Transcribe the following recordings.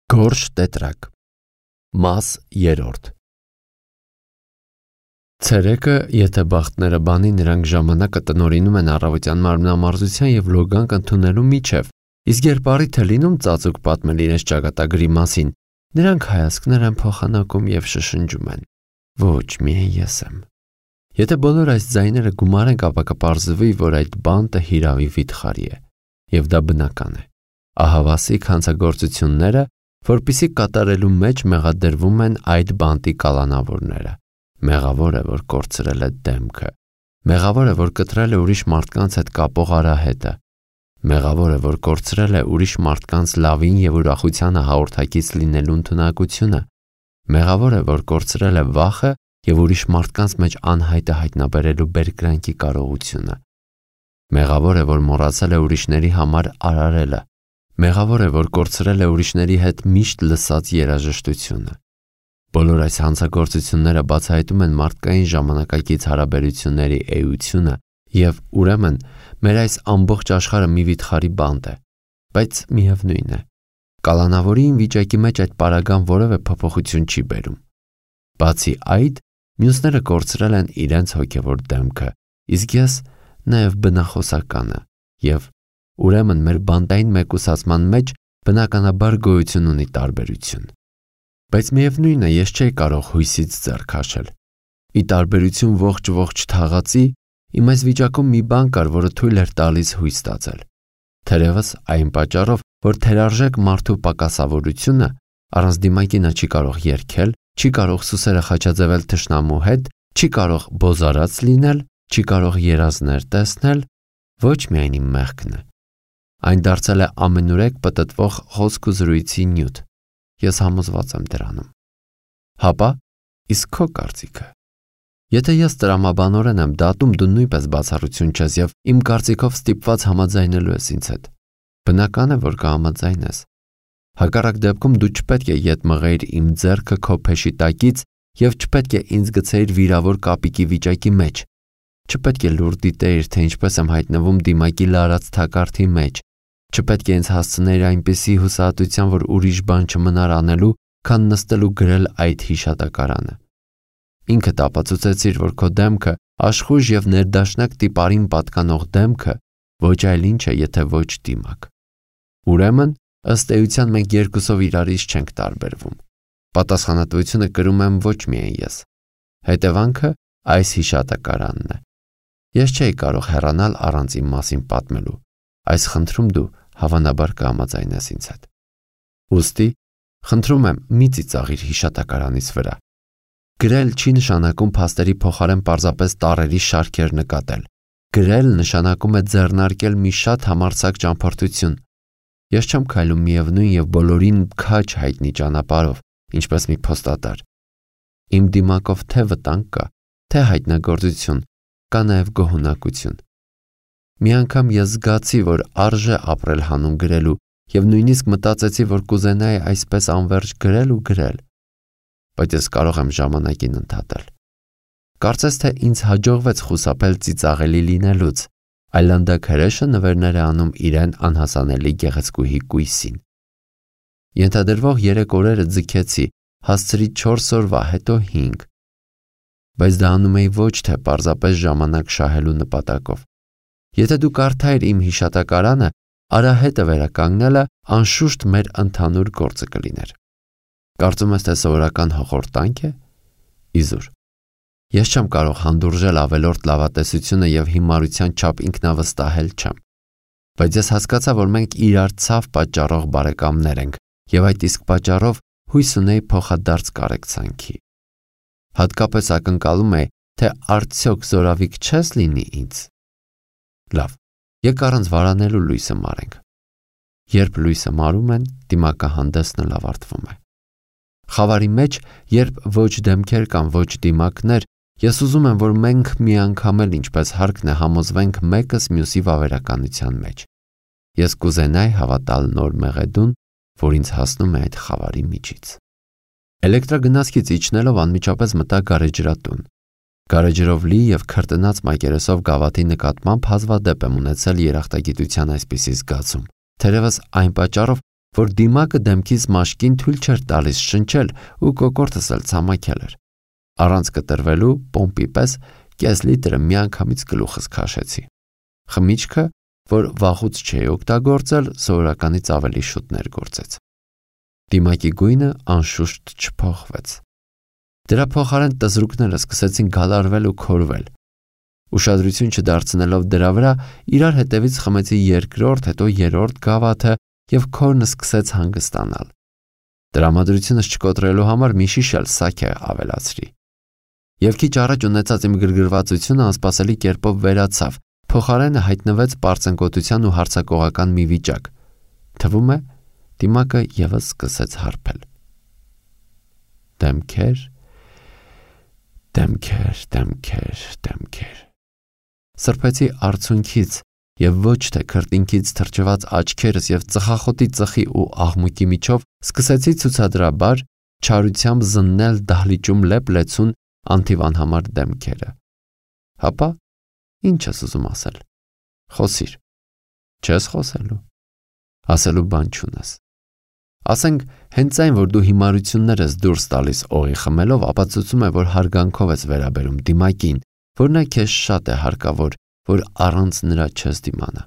Գորշ տետրակ Մաս 3 Ցերեկը, եթե բախտները բանի, նրանք ժամանակը տնօրինում են առավոտյան մարմնամարզության և լոգանք ընդունելու միջև, իսկ երբ առիթ է լինում ծածուկ պատմել իրենց ճակատագրի մասին, նրանք հայացքներ են փոխանակում և շշնջում են. ոչ, միայն ես եմ։ Եթե բոլոր այս ձայները գումարենք, ապա կպարզվի, որ այդ բանտը հիրավի վիթխարի է, և դա բնական է։ Ահավասիկ հանցագործությունները, որպեսզի կատարելու մեջ մեղադրվում են այդ բանտի կալանավորները։ Մեղավոր է, որ կորցրել է դեմքը։ Մեղավոր է, որ կտրել է ուրիշ մարդկանց հետ կապող արահետը։ Մեղավոր է, որ կորցրել է ուրիշ մարդկանց լավին և ուրախությանը հաղորդակից լինելու ընդունակությունը։ Մեղավոր է, որ կորցրել է վախը և ուրիշ մարդկանց մեջ անհայտը հայտնաբերելու բերկրանքի կարողությունը։ Մեղավոր է, որ մոռացել է ուրիշների համար արարելը։ Մեղավոր է, որ կորցրել է ուրիշների հետ միշտ լսած երաժշտությունը։ Բոլոր այս հանցագործությունները բացահայտում են մարդկային ժամանակակից հարաբերությունների էությունը և, ուրեմն, մեր այս ամբողջ աշխարհը մի վիթխարի բանտ է, բայց միևնույն է, կալանավորի վիճակի մեջ այդ պարագան որևէ փոփոխություն չի բերում։ Բացի այդ, մյուսները կորցրել են իրենց հոգևոր դեմքը, իսկ ես նաև բնախոսականը, և ուրեմն մեր բանտային մեկուսացման մեջ բնականաբար գոյություն ունի տարբերություն։ Բայց միևնույն է, ես չէի կարող հույսից ձեռ քաշել։ Ի տարբերություն ողջ թաղածի, իմ այս վիճակում մի բան կար, որը թույլ էր տալիս հույս ստացել։ Թերևս այն պատճառով, որ թերարժեք մարդու պակասավորությունը, առանց դիմակի նա չի կարող երգել, չի կարող սուսերը խաչաձևել թշնամու հետ, չի կարող բոզարած լինել, չի կարող երազներ տեսնել, ոչ միայն իմ մեղքն է։ Այն դարձել է ամենուրեք պտտվող խոսք ու զրույցի նյութ։ Ես համոզված եմ դրանում։ Հապա, իսկ քո կարծիքը։ Եթե ես տրամաբանորեն եմ դատում, դու նույնպես բացառություն չես և իմ կարծիքով ստիպված համաձայնելու ես ինձ հետ։ Բնական է, որ կհամաձայնես։ Հակառակ դեպքում դու չպետք է ետ մղեիր իմ ձեռքը քո փեշի տակից և չպետք է ինձ գցեիր վիրավոր կապիկի վիճակի մեջ։ Չպետք է լուր դիտեիր, թե ինչպես եմ հայտնվում դիմակի լարած թակարդի մեջ։ Չպետք է ինձ հասցնեիր այնպիսի հուսահատության, որ ուրիշ բան չմնար անելու, քան նստել ու գրել այդ հիշատակարանը։ Ինքդ ապացուցեցիր, որ քո դեմքը, աշխույժ և ներդաշնակ տիպարին պատկանող դեմքը, ոչ այլ ինչ է, եթե ոչ դիմակ։ Ուրեմն, ըստ էության մենք երկուսով իրարից չենք տարբերվում։ Պատասխանատվությունը կրում եմ ոչ միայն ես։ Հետևանքը այս հիշատակարանն է։ Ես չէի կարող հեռանալ առանց իմ մասին պատմելու։ Այս խնդրում դու հավանաբար կհամաձայնես ինձ հետ։ Ուստի, խնդրում եմ, մի ծիծաղիր հիշատակարանից վրա։ Գրել չի նշանակում փաստերի փոխարեն պարզապես տառերի շարքեր նկատել։ Գրել նշանակում է ձեռնարկել մի շատ համարձակ ճամփորդություն։ Ես չեմ քայլում միևնույն և բոլորին քաջ հայտնի ճանապարհով, ինչպես մի փոստատար։ Իմ դիմակով թե վտանգ կա, թե հայտնագործություն, կա նաև գոհունակություն։ Մի անգամ ես զգացի, որ արժե ապրել հանուն գրելու և նույնիսկ մտածեցի, որ կուզենայի այսպես անվերջ գրել ու գրել։ Բայց ես կարող եմ ժամանակին ընդհատել։ Կարծես թե ինձ հաջողվեց խուսափել ծիծաղելի լինելուց, այլանդակ հրեշը նվերներ է անում իրեն անհասանելի գեղեցկուհի կույսին։ Ենթադրվող 3 օրերը ձգեցի, հասցրի 4 օրվա, հետո 5։ Բայց դա անում էի ոչ թե պարզապես ժամանակ շահելու նպատակով։ Եթե դու կարդայիր իմ հիշատակարանը, արահետը վերականգնելը անշուշտ մեր ընդհանուր գործը կլիներ։ Կարծում ես, թե սովորական հոխորտանք է։ Իզուր։ Ես չեմ կարող հանդուրժել ավելորդ լավատեսությունը և հիմարության չափ ինքնավստահել չեմ։ Բայց ես հասկացա, որ մենք իրար ցավ պատճառող բարեկամներ ենք, և այդ իսկ պատճառով հույս ունեի փոխադարձ կարեկցանքի։ Հատկապես ակնկալում էի, թե արդյոք զորավիք չես լինի ինձ։ Լավ, եկ առանց վարանելու լույսը մարենք։ Երբ լույսը մարում են, դիմակահանդեսն էլ ավարտվում է։ Խավարի մեջ, երբ ոչ դեմքեր կան, ոչ դիմակներ, ես ուզում եմ, որ մենք մի անգամ էլ ինչպես հարկն է համոզվենք մեկս մյուսի վավերականության մեջ։ Ես կուզենայի հավատալ նոր մեղեդուն, որ ինձ հասնում է այդ խավարի միջից։ Էլեկտրագնացքից իջնելով անմիջապես մտա գարեջրատուն։ Գարեջրով լի և քրտնած մակերեսով գավաթի նկատմամբ հազվադեպ եմ ունեցել երախտագիտության այսպիսի զգացում, թերևս այն պատճառով, որ դիմակը դեմքից մաշկին թույլ չէր տալիս շնչել ու կոկորդս էլ ցամաքել էր։ Առանց կտրվելու պոմպի պես կես լիտրը միանգամից գլուխս քաշեցի։ Խմիչքը, որ վաղուց չէի օգտագործել, սովորականից ավելի շուտ ներգործեց։ Դիմակի գույնը անշուշտ չփոխվեց։ Դրա փոխարեն տզրուկները սկսեցին գալարվել ու քորվել։ Ուշադրություն չդարձնելով դրա վրա, իրար հետևից խմեցի երկրորդ, հետո երրորդ գավաթը և քորն սկսեց հանգստանալ։ Տրամադրությունս չկոտրելու համար մի շիշ էլ սաքե ավելացրի։ Եվ քիչ առաջ ունեցած իմ գրգռվածությունը անսպասելի կերպով վերացավ, փոխարենը հայտնվեց պարծենկոտության ու հարձակողական մի վիճակ։ Թվում է, դիմակը ևս սկսեց հարբել։ Դեմքեր, դեմքեր, դեմքեր, դեմքեր։ Սրբեցի արցունքից և ոչ թե քրտինքից թրջված աչքերս և ծխախոտի ծխի ու աղմուկի միջով սկսեցի ցուցադրաբար չարությամբ զննել դահլիճում լեփ-լեցուն անթիվանհամար դեմքերը։ Հապա, ինչ ես ուզում ասել։ Խոսիր։ Չես խոսելու։ Ասելու բան չունես։ Ասենք, հենց այն, որ դու հիմարություններ ես դուրս տալիս օղի խմելով, ապացուցում է, որ հարգանքով ես վերաբերում դիմակին, որ նա քեզ շատ է հարկավոր, որ առանց նրա չես դիմանա։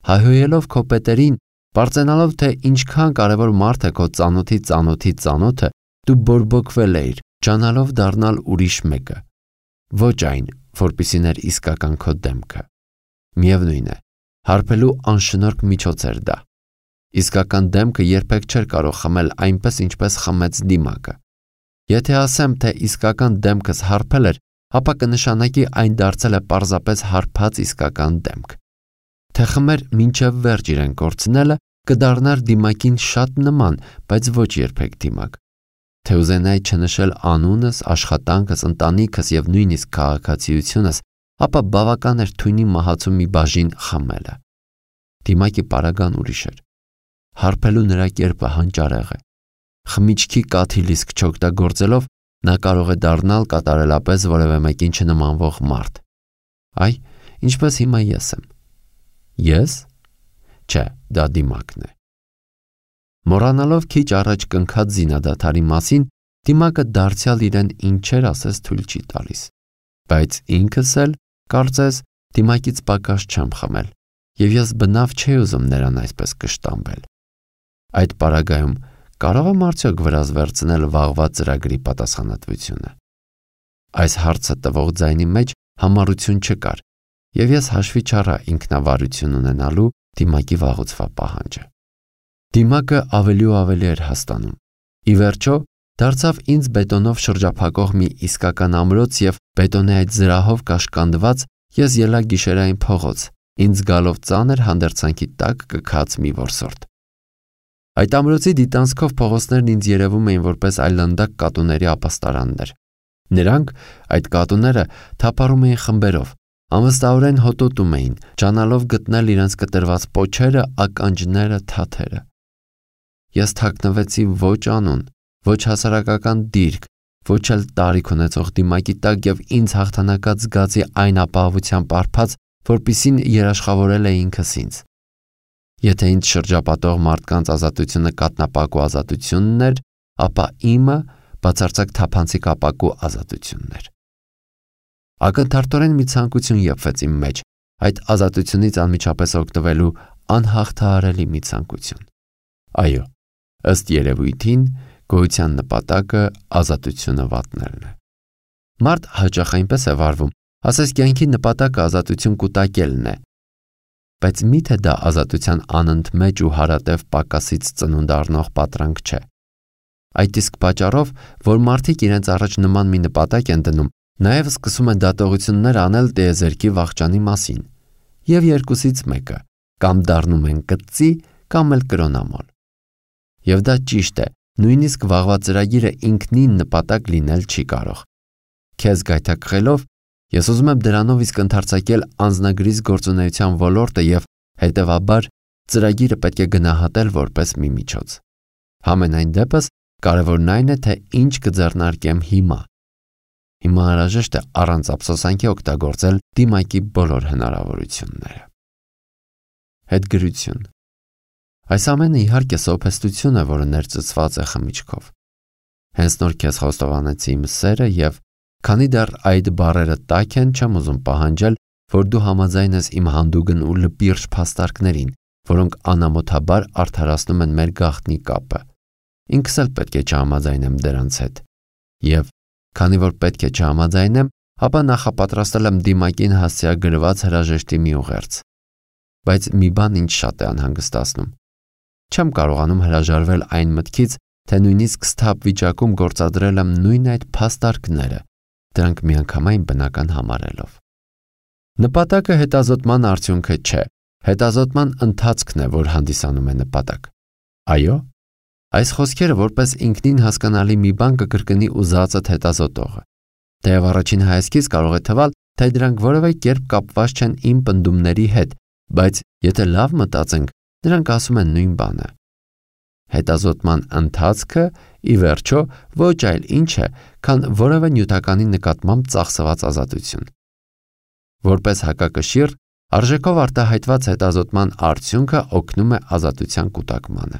Հայհոյելով քո պետերին, պարծենալով, թե ինչքան կարևոր մարդ է քո ծանոթի ծանոթի ծանոթը, դու բորբոքվել էիր, ջանալով դառնալ ուրիշ մեկը։ Ոչ այն, որպեսզի ներ իսկական քո դեմքը։ Միևնույն է, հարբելու անշնորհք միջոց էր դա։ Իսկական դեմքը երբեք չէր կարող խմել այնպես, ինչպես խմեց դիմակը։ Եթե ասեմ, թե իսկական դեմքս հարբել էր, ապա կնշանակի այն դարձել է պարզապես հարբած իսկական դեմք։ Թե խմեր մինչև վերջ իրեն կորցնելը, կդառնար դիմակին շատ նման, բայց ոչ երբեք դիմակ։ Թե ուզենայի չնշել անունս, աշխատանքս, ընտանիքս և նույնիսկ քաղաքացիությունս, ապա բավական էր թույնի մահացու մի բաժին խմելը։ Դիմակի պարագան ուրիշ էր։ Հարբելու նրա կերպը հանճարեղ է։ Խմիչքի կաթիլ իսկ չօգտագործելով նա կարող է դառնալ կատարելապես որևէ մեկին չնմանվող մարդ։ Այ, ինչպես հիմա ես եմ։ Ես? Չէ, դա դիմակն է։ Մոռանալով քիչ առաջ կնքած զինադադարի մասին, դիմակը դարձյալ իրեն ինչեր ասես թույլ չի տալիս։ Բայց ինքս էլ, կարծես, դիմակից պակաս չեմ խմել, և ես բնավ չէի ուզում նրան այսպես կշտամբել։ Այդ պարագայում կարող եմ արդյոք վրաս վերցնել վաղվա ծրագրի պատասխանատվությունը։ Այս հարցը տվող ձայնի մեջ համառություն չկար, և ես հաշվի չառա ինքնավարություն ունենալու դիմակի վաղուցվա պահանջը։ Դիմակը ավելի ու ավելի էր հաստանում։ Ի վերջո, դարձավ ինձ բետոնով շրջափակող մի իսկական ամրոց և բետոնի այդ զրահով կաշկանդված ես ելա գիշերային փողոց, ինձ գալով ծանր հանդերձանքի տակ կքած մի որսորդ։ Այդ ամրոցի դիտանցքով փողոցներն ինձ երևում էին որպես այլանդակ կատուների ապաստարաններ։ Նրանք, այդ կատուները, թափառում էին խմբերով, անվստահորեն հոտոտում էին, ջանալով գտնել իրենց կտրված պոչերը, ականջները, թաթերը։ Ես թաքնվեցի ոչ անուն, ոչ հասարակական դիրք, ոչ էլ տարիք ունեցող դիմակի տակ և ինձ հաղթանակած զգացի այն ապահովությամբ արփած, որպիսին երաշխավորել է ինքս ինձ։ Եթե ինձ շրջապատող մարդկանց ազատությունը կատնապակու ազատությունն էր, ապա իմը բացարձակ թափանցիկ ապակու ազատությունն էր։ Ակնթարթորեն մի ցանկություն եփվեց իմ մեջ, այդ ազատությունից անմիջապես օգտվելու անհաղթահարելի մի ցանկություն։ Այո, ըստ երևույթին, գոյության նպատակը ազատությունը վատնելն է։ Մարդ հաճախ այնպես է վարվում, ասես կյանքի նպատակը ազատություն կուտակելն է, բայց միթե դա ազատության անընդմեջ ու հարատև պակասից ծնունդ առնող պատրանք չէ։ Այդ իսկ պատճառով, որ մարդիկ իրենց առաջ նման մի նպատակ են դնում, նաև սկսում են դատողություններ անել տիեզերքի վախճանի մասին, և երկուսից մեկը, կամ դառնում են կծի, կամ էլ կրոնամոլ։ Եվ դա ճիշտ է, նույնիսկ վաղվա ծրագիրը ինքնին նպատակ լինել չի կարող։ Քեզ գայթակղելով, ես ուզում եմ դրանով իսկ ընդարձակել անձնագրիս գործունեության ոլորտը և, հետևաբար, ծրագիրը պետք է գնահատել որպես մի միջոց։ Համենայն դեպս, կարևորն այն է, թե ինչ կձեռնարկեմ հիմա։ Հիմա անհրաժեշտ է առանց ափսոսանքի օգտագործել դիմակի բոլոր հնարավորությունները։ Հետգրություն։ Այս ամենը իհարկե սոփեստություն է, որը ներծծված է խմիչքով։ Հենց նոր քեզ խոստովանեցի իմ սերը եւ քանի դեռ այդ բառերը տաք են, չեմ ուզում պահանջել, որ դու համաձայնես իմ հանդուգն ու լպիրջ փաստարկներին, որոնք անամոթաբար արդարացնում են մեր գաղտնի կապը։ Ինքս էլ պետք է չհամաձայնեմ դրանց հետ։ Եվ քանի որ պետք է չհամաձայնեմ, ապա նախապատրաստել եմ դիմակին հասցեագրված հրաժեշտի մի ուղերձ։ Բայց մի բան ինձ շատ է անհանգստացնում։ Չեմ կարողանում հրաժարվել այն մտքից, թե նույնիսկ սթափ վիճակում գործադրել եմ նույն այդ փաստարկները, դրանք միանգամայն բնական համարելով։ Նպատակը հետազոտման արդյունքը չէ, հետազոտման ընթացքն է, որ հանդիսանում է նպատակ։ Այո, այս խոսքերը որպես ինքնին հասկանալի մի բան կկրկնի ուզածդ հետազոտողը։ Թեև առաջին հայացքից կարող է թվալ, թե դրանք որևէ կերպ կապված չեն իմ պնդումների հետ, բայց եթե լավ մտածենք, նրանք ասում են նույն բանը։ Հետազոտման ընթացքը, ի վերջո, ոչ այլ ինչ է, քան որևէ նյութականի նկատմամբ ծախսված ազատություն։ Որպես հակակշիռ, արժեքով արտահայտված հետազոտման արդյունքը օգնում է ազատության կուտակմանը։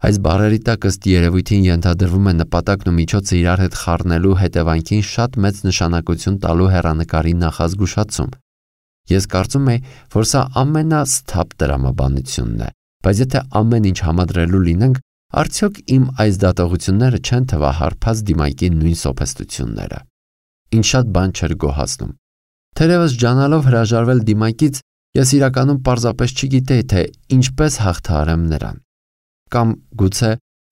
Այս բառերի տակ ըստ երևույթին ենթադրվում է նպատակն ու միջոցը իրար հետ խառնելու հետևանքին շատ մեծ նշանակություն տալու հեռանկարի նախազգուշացում։ Ես կարծում եմ, որ սա ամենասթափ տրամաբանությունն է, բայց եթե ամեն ինչ համադրելու լինենք, արդյոք իմ այս դատողությունները չեն թվա հարբած դիմակի նույն սոփեստությունները։ Ինչ շատ բան չէր գոհացնում։ Թերևս ջանալով հրաժարվել դիմակից, ես իրականում պարզապես չգիտեի, թե ինչպես հաղթահարեմ նրան։ Կամ գուցե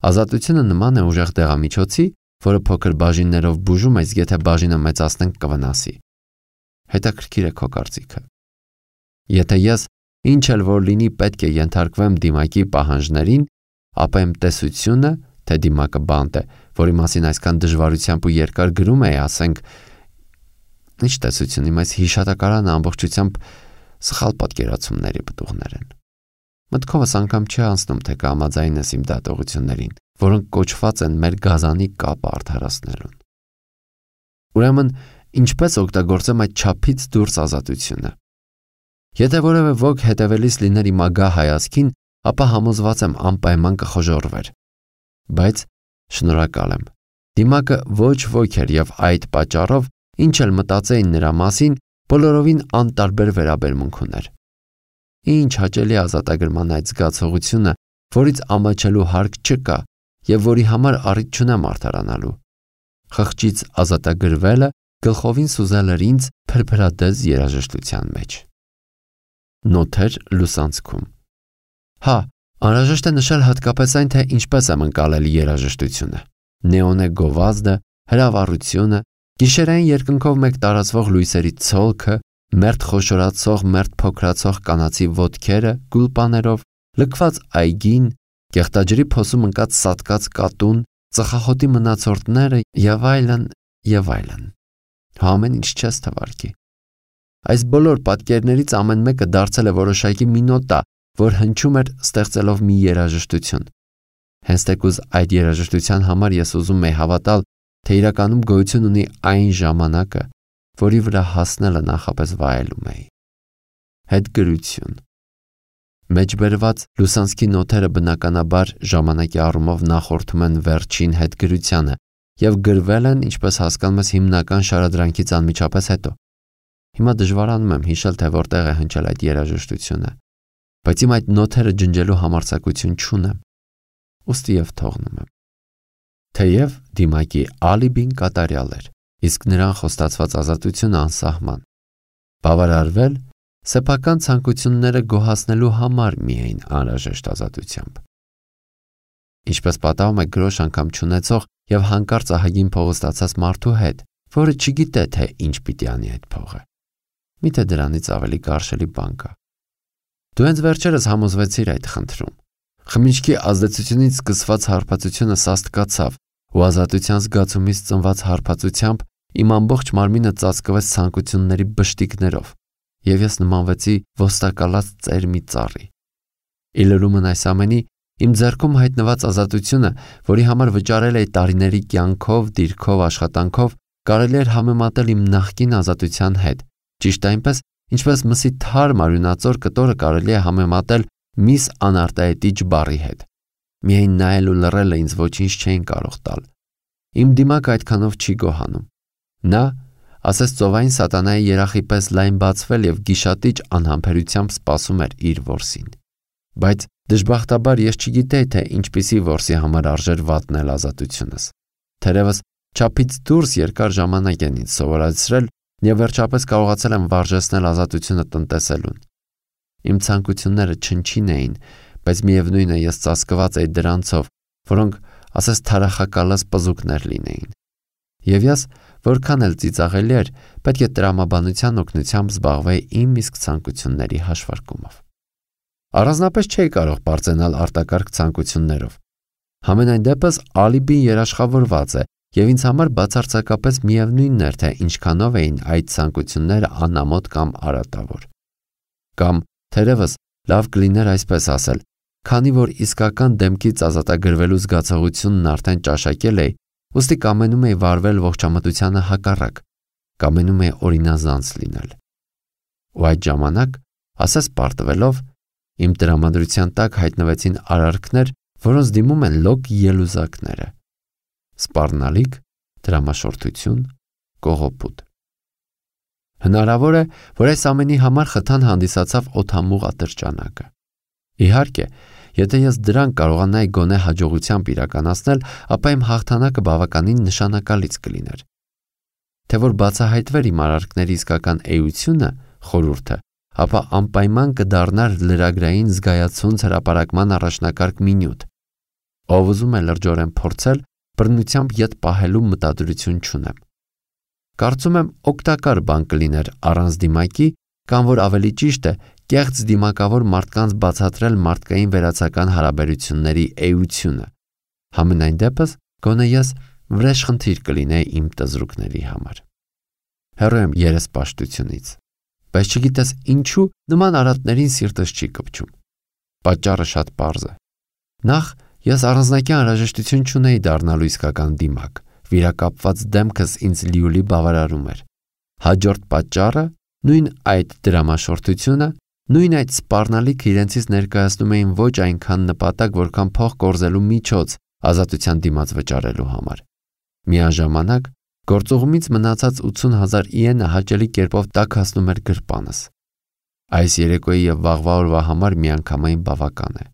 ազատությունը նման է ուժեղ դեղամիջոցի, որը փոքր բաժիններով բուժում ես, եթե բաժինը մեծացնենք կվնասի։ Հետաքրքիր է քո կարծիքը։ Եթե ես ինչ էլ որ լինի պետք է ենթարկվեմ դիմակի պահանջներին, ապա իմ տեսությունը, թե դիմակը բանտ է, որի մասին այսքան դժվարությամբ ու երկար գրում էի, ասենք, ինչ տեսություն իմ այս հիշատակարանը ամբողջությամբ սխալ պատկերացումների պտուղներ են։ Մտքովս անգամ չի անցնում, թե կհամաձայնես իմ դատողություններին, որոնք կոչված են մեր գազանի կապը արդարացնելուն։ Ուրեմն, ինչպես օգտագործեմ այդ չափից դուրս ազատությունը։ Եթե որևէ ոք հետևելիս լիներ իմ ագահ հայացքին, ապա համոզված եմ անպայման կխոժոռվեր։ Բայց շնորհակալ եմ։ Դիմակը ոչ ոք էր եւ այդ պատճառով ինչ էլ մտածեին նրա մասին, բոլորովին անտարբեր վերաբերմունք ուներ։ Ինչ հաճելի ազատագրման այդ զգացողությունը, որից ամաչելու հարկ չկա եւ որի համար առիթ չունեմ արդարանալու։ Խղճից ազատագրվելը գլխովին սուզել էր ինձ փրփրադես երաժշտության մեջ։ Նոթեր լուսանցքում։ Հա, անհրաժեշտ է նշել հատկապես այն, թե ինչպես եմ ընկալել երաժշտությունը։ Նեոնե գովազդը, հրավառությունը, գիշերային երկնքով մեկ տարածվող լույսերի ցոլքը, մերթ խոշորացող, մերթ փոքրացող կանացի ոտքերը գուլպաներով, լքված այգին, կեղտաջրի փոսում ընկած սատկած կատուն, ծխախոտի մնացորդները եւ այլն եւ այլն։ Ամեն ինչ չես թվարկի։ Այս բոլոր պատկերներից ամեն մեկը դարձել է որոշակի մի նոտա, որ հնչում էր ստեղծելով մի երաժշտություն։ Հենց թեկուզ այդ երաժշտության համար ես ուզում եի հավատալ, թե իրականում գոյություն ունի այն ժամանակը, որի վրա հասնելը նախապես վայելում էի։ Հետգրություն։ Մեջբերված լուսանցքի նոթերը բնականաբար ժամանակի առումով նախորդում են վերջին հետգրությանը եւ գրվել են, ինչպես հասկանում ես, հիմնական շարադրանքից անմիջապես հետո։ Հիմա դժվարանում եմ հիշել, թե որտեղ է հնչել այդ երաժշտությունը, բայց իմ այդ նոթերը ջնջելու համարձակություն չունեմ։ Ուստի եւ թողնում եմ։ Թեև դիմակի ալիբին կատարյալ էր, իսկ նրան խոստացված ազատությունը անսահման։ Բավարարվել սեփական ցանկությունները գոհացնելու համար միայն անհրաժեշտ ազատությամբ։ Ինչպես պատահում է գրոշ անգամ չունեցող եւ հանկարծ ահագին փող ստացած մարդու հետ, որը չգիտե, թե ինչ պիտի անի այդ փողը։ Միթե դրանից ավելի կարշելի բան կա։ Դու հենց վերջերս համոզվեցիր այդ խնդրում։ Խմիչքի ազդեցությունից սկսված հարբածությունը սաստկացավ ու ազատության զգացումից ծնված հարբածությամբ իմ ամբողջ մարմինը ծածկվեց ցանկությունների բշտիկներով եւ ես նմանվեցի ոստակալած ծեր մի ծառի։ Իլրումն այս ամենի իմ ձեռքում հայտնված ազատությունը, որի համար վճարել էի տարիների կյանքով, դիրքով, աշխատանքով, կարելի էր համեմատել իմ նախկին ազատության հետ։ Ճիշտ այնպես, ինչպես մսի թարմ արյունածոր կտորը կարելի է համեմատել միս անարտահայտիչ բառի հետ։ Միայն նայել ու լռելը ինձ ոչինչ չէին կարող տալ։ Իմ դիմակը այդքանով չի գոհանում։ Նա, ասես ծովային սատանայի երախի պես լայն բացվել և գիշատիչ անհամբերությամբ սպասում էր իր որսին։ Բայց դժբախտաբար ես չգիտեի, թե ինչպիսի որսի համար արժեր վատնել ազատությունս։ Թերևս չափից դուրս երկար ժամանակ են ինձ սովորեցրել և վերջապես կարողացել եմ վարժեցնել ազատությունը տնտեսելուն։ Իմ ցանկությունները չնչին էին, բայց միևնույն է ես ծածկված էի դրանցով, որոնք ասես թարախակալած պզուկներ լինեին։ Եվ ես, որքան էլ ծիծաղելի էր, պետք է տրամաբանության օգնությամբ զբաղվեի իմ իսկ ցանկությունների հաշվարկումով։ Առանձնապես չէի կարող պարծենալ արտակարգ ցանկություններով։ Համենայն դեպս ալիբին երաշխավորված է և ինձ համար բացարձակապես միևնույնն էր, թե ինչքանով էին այդ ցանկությունները անամոթ կամ արատավոր։ Կամ թերևս լավ կլիներ այսպես ասել, քանի որ իսկական դեմքից ազատագրվելու զգացողությունն արդեն ճաշակել էի, ուստի կամենում էի վարվել ողջամտությանը հակառակ, կամենում էի օրինազանց լինել։ Ու այդ ժամանակ, ասես պարտվելով, իմ տրամադրության տակ հայտնվեցին արարքներ, որոնց դիմում են լոկ ելուզակները։ Սպառնալիք, դրամաշորթություն, կողոպուտ։ Հնարավոր է, որ այս ամենի համար խթան հանդիսացավ օդամուղ ատրճանակը։ Իհարկե, եթե ես դրան կարողանայի գոնե հաջողությամբ իրականացնել, ապա իմ հաղթանակը բավականին նշանակալից կլիներ։ Թե որ բացահայտվեր իմ արարքների իսկական էությունը, խորհուրդը, ապա անպայման կդառնար լրագրային զգայացունց հրապարակման առաջնակարգ մի նյութ։ Ով ուզում է լրջորեն փորձել, բռնությամբ ետ պահելու մտադրություն չունեմ։ Կարծում եմ օգտակար բան կլիներ առանց դիմակի, կամ որ ավելի ճիշտ է, կեղծ դիմակավոր մարդկանց բացատրել մարդկային վերացական հարաբերությունների էությունը։ Համենայն դեպս, գոնե ես վրեժխնդիր կլինեի իմ տզրուկների համար։ Հեռու եմ երեսպաշտությունից, բայց չգիտես ինչու նման արատներին սիրտս չի կպչում։ Պատճառը շատ պարզ է։ Նախ ես առանձնակի անհրաժեշտություն չունեի դառնալու իսկական դիմակ, վիրակապված դեմքս ինձ լիուլի բավարարում էր։ Հաջորդ պատճառը նույն այդ դրամաշորթությունը, նույն այդ սպառնալիքը իրենցից ներկայացնում էին ոչ այնքան նպատակ, որքան փող կորզելու միջոց ազատության դիմաց վճարելու համար։ Միաժամանակ գործուղումից մնացած 80,000 իենը հաճելի կերպով տաքացնում էր գրպանս։ Այս երեկոյի և վաղվա օրվա համար միանգամայն բավական է։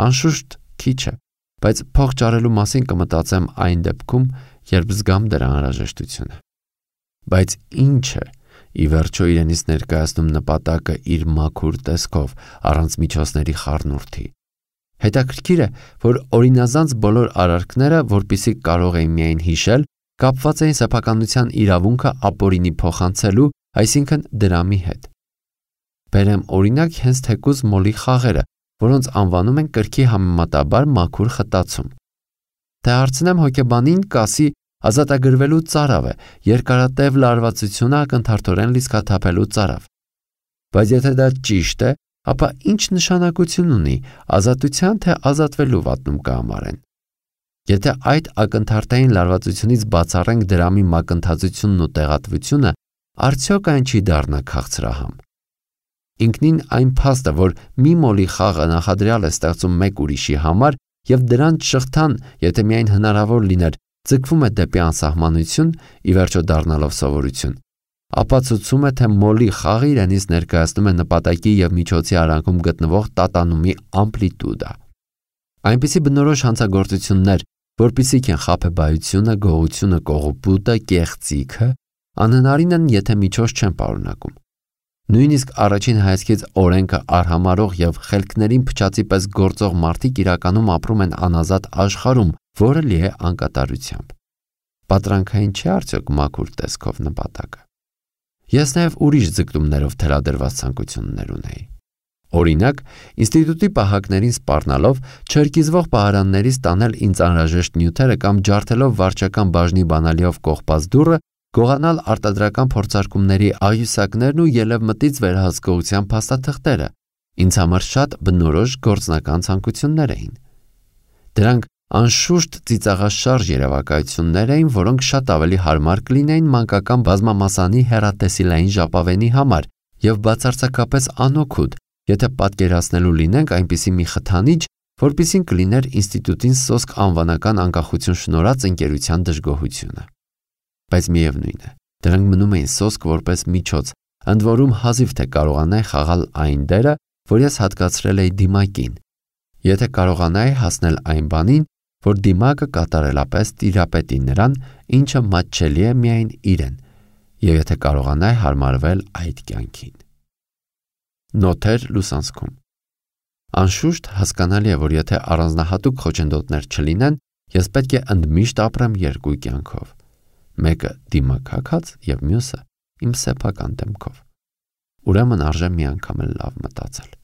Անշուշտ քիչ է, բայց փող ճարելու մասին կմտածեմ այն դեպքում, երբ զգամ դրա անհրաժեշտությունը։ Բայց ինչ է ի վերջո իրենից ներկայացնում նպատակը իր մաքուր տեսքով, առանց միջոցների խառնուրդի։ Հետաքրքիր է, որ օրինազանց բոլոր արարքները, որպեսզի կարող էին միայն հիշել, կապված էին սեփականության իրավունքը ապօրինի փոխանցելու, այսինքն դրամի հետ։ Բերեմ օրինակ հենց թեկուզ մոլի խաղերը, որոնց անվանում են կրքի համեմատաբար մաքուր խտացում։ Թե հարցնեմ հոգեբանին, կասի ազատագրվելու ծարավ է, երկարատև լարվածությունը ակնթարթորեն լիցքաթափելու ծարավ։ Բայց եթե դա ճիշտ է, ապա ինչ նշանակություն ունի ազատության թե ազատվելու վատնում կհամարեն։ Եթե այդ ակնթարթային լարվածությունից բացառենք դրամի մակընթացությունն ու տեղատվությունը, արդյոք այն չի դառնա քաղցրահամ։ Ինքնին այն փաստը, որ մի մոլի խաղը նախադրյալ է ստեղծում մեկ ուրիշի համար և դրանց շղթան, եթե միայն հնարավոր լիներ, ձգվում է դեպի անսահմանություն, ի վերջո դառնալով սովորություն, ապացուցում է, թե մոլի խաղը իրենից ներկայացնում է նպատակի և միջոցի արանքում գտնվող տատանումի ամպլիտուդա։ Այնպիսի բնորոշ հանցագործություններ, որպիսիք են խաբեբայությունը, գողությունը, կողոպուտը, կեղծիքը, անհնարին են, եթե միջոց չեն պարունակում։ Նույնիսկ առաջին հայացքից օրենքը արհամարող և խելքներին փչացի պես գործող մարդիկ իրականում ապրում են անազատ աշխարհում, որը լի է անկատարությամբ։ Պատրանքային չէ արդյոք մաքուր տեսքով նպատակը։ Ես նաև ուրիշ ձգտումներով թելադրված ցանկություններ ունեի։ Օրինակ, ինստիտուտի պահակներին սպառնալով, չերկիզվող պահարաններից տանել ինձ անհրաժեշտ նյութերը կամ ջարդելով վարչական բաժնի բանալիով կողպած դուռը, գողանալ արտադրական փորձարկումների աղյուսակներն ու ելևմտից վերահսկողության փաստաթղթերը ինձ համար շատ բնորոշ գործնական ցանկություններ էին։ Դրանք անշուշտ ծիծաղաշարժ երևակայություններ էին, որոնք շատ ավելի հարմար կլինեին մանկական բազմամասանի հեռատեսիլային ժապավենի համար և բացարձակապես անօգուտ, Եթե պատկերացնելու լինենք այնպիսի մի խթանիչ, որպիսին կլիներ ինստիտուտին սոսկ անվանական անկախություն շնորհած ընկերության դժգոհությունը։ Բայց միևնույն է, դրանք մնում էին սոսկ որպես միջոց, ընդ որում հազիվ թե կարողանայի խաղալ այն դերը, որ ես հատկացրել էի դիմակին։ Եթե կարողանայի հասնել այն բանին, որ դիմակը կատարելապես տիրապետի նրան, ինչը մատչելի է միայն իրեն, եւ եթե կարողանայի հարմարվել այդ կյանքին։ Նոթեր լուսանցքում։ Անշուշտ հասկանալի է, որ եթե առանձնահատուկ խոչընդոտներ չլինեն, ես պետք է ընդմիշտ ապրեմ երկու կյանքով։ Մեկը դիմակակած եւ մյուսը իմ սեփական դեմքով։ Ուրեմն արժե մի անգամ էլ լավ մտածել։